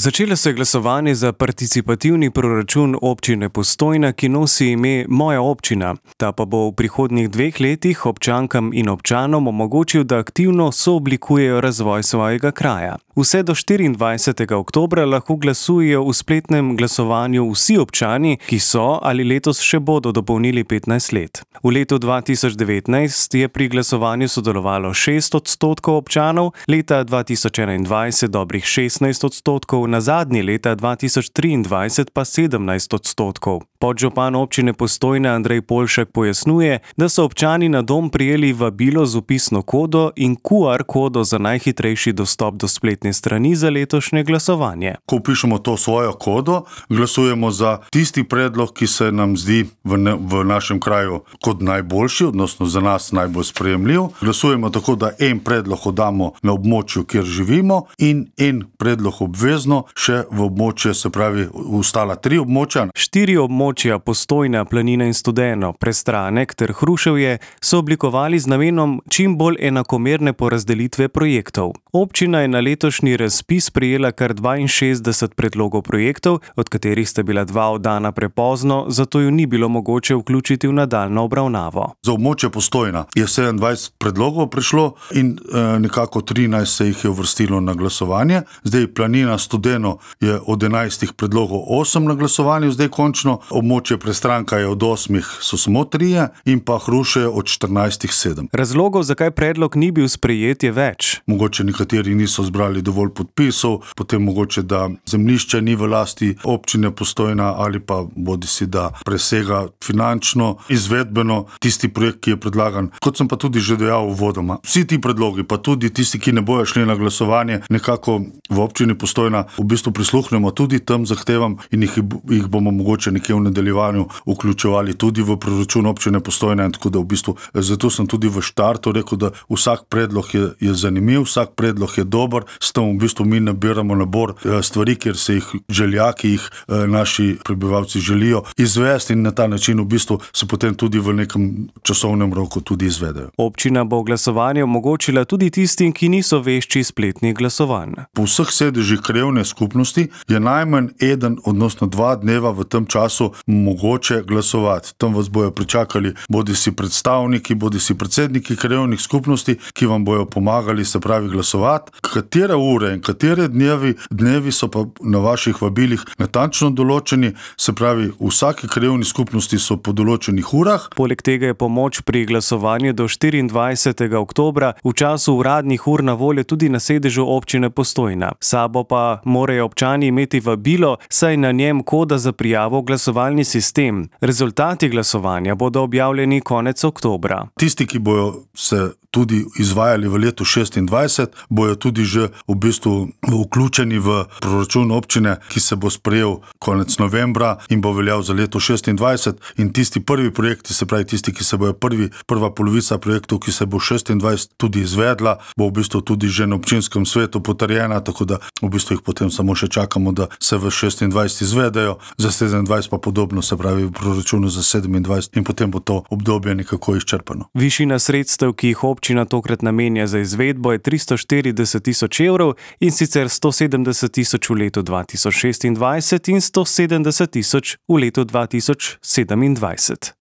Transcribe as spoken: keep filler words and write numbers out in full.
Začelo se je glasovanje za participativni proračun občine Postojna, ki nosi ime Moja občina. Ta pa bo v prihodnjih dveh letih občankam in občanom omogočil, da aktivno sooblikujejo razvoj svojega kraja. Vse do štiriindvajsetega oktobra lahko glasujejo v spletnem glasovanju vsi občani, ki so ali letos še bodo dopolnili petnajst let. V letu dva tisoč devetnajst je pri glasovanju sodelovalo šest odstotkov občanov, leta dva tisoč enaindvajset dobrih šestnajst odstotkov, na zadnji leta dva tisoč triindvajset pa sedemnajst odstotkov. Podžupan občine Postojna Andrej Poljšak pojasnjuje, da so občani na dom prejeli vabilo z vpisno kodo in Q R kodo za najhitrejši dostop do spletne strani za letošnje glasovanje. Ko vpišemo to svojo kodo, glasujemo za tisti predlog, ki se nam zdi v, ne, v našem kraju kot najboljši, odnosno za nas najbolj sprejemljiv. Glasujemo tako, da en predlog oddamo na območju, kjer živimo, in en predlog obvezno še v območje, se pravi ostala tri območja. Štiri območja Postojna, Planina in Studeno, Prestranek ter Hruševje so oblikovali z namenom čim bolj enakomerne porazdelitve projektov. Občina je na letošnji razpis prejela kar dvainšestdeset predlogov projektov, od katerih sta bila dva oddana prepozno, zato ju ni bilo mogoče vključiti v nadaljnjo obravnavo. Za območje Postojna je sedemindvajset predlogov prišlo in e, nekako trinajst se jih je uvrstilo na glasovanje. Zdaj Planina, Studeno je od enajstih predlogov osem na glasovanju, zdaj končno. Območje Prestranka je od osmih so samo trije in pa Hruše od štirinajstih sedem. Razlogov, zakaj predlog ni bil sprejet, je več. Mogoče nekateri niso zbrali dovolj podpisov, potem mogoče, da zemljišče ni v lasti občine Postojna ali pa bodisi, da presega finančno, izvedbeno tisti projekt, ki je predlagan. Kot sem pa tudi že dejal uvodoma, vsi ti predlogi, pa tudi tisti, ki ne bojo šli na glasovanje, nekako v občini Postojna v bistvu prisluhnemo tudi tem zahtevam in jih, jih bomo mogoče nekje v nadaljevanju vključevali tudi v proračun občine Postojna, in tako da v bistvu zato sem tudi v štartu rekel, da vsak predlog je, je zanimiv, vsak predlog je dober, s tem v bistvu mi nabiramo nabor stvari, kjer se jih želja, ki jih naši prebivalci želijo izvesti, in na ta način v bistvu se potem tudi v nekem časovnem roku tudi izvedejo. Občina bo glasovanje omogočila tudi tistim, ki niso vešči spletnih glasovanj. Po vseh sedežih krajevne skupnosti je najmanj eden, odnosno dva dneva v tem času mogoče glasovati. Tam vas bojo pričakali bodisi predstavniki, bodisi predsedniki krajevnih skupnosti, ki vam bojo pomagali, se pravi, glasovati. Katere ure in katere dnevi, dnevi so pa na vaših vabilih natančno določeni, se pravi, v vsaki krajevni skupnosti so po določenih urah. Poleg tega je pomoč pri glasovanju do štiriindvajsetega oktobra v času uradnih ur na voljo tudi na sedežu občine Postojna. Sabo pa morajo občani imeti vabilo, saj na njem koda za prijavo v glasovalni sistem. Rezultati glasovanja bodo objavljeni konec oktobra. Tisti, ki bojo se tudi izvajali v letu šestindvajset, bojo tudi že v bistvu vključeni v proračun občine, ki se bo sprejel konec novembra in bo veljal za leto šestindvajset, in tisti prvi projekti, se pravi tisti, ki se bojo prvi, prva polovica projektov, ki se bo šestindvajset tudi izvedla, bo v bistvu tudi že na občinskem svetu potrjena, tako da v bistvu jih potem samo še čakamo, da se v šestindvajset izvedejo, za sedemindvajset pa podobno, se pravi v proračunu za sedemindvajset, in potem bo to obdobje nekako izčrpano. Višina sredstev, ki jih občina tokrat namenja za izvedbo, je tristo štirideset tisoč evrov, in sicer sto sedemdeset tisoč v letu dva tisoč šestindvajset in sto sedemdeset tisoč v letu dva tisoč sedemindvajset.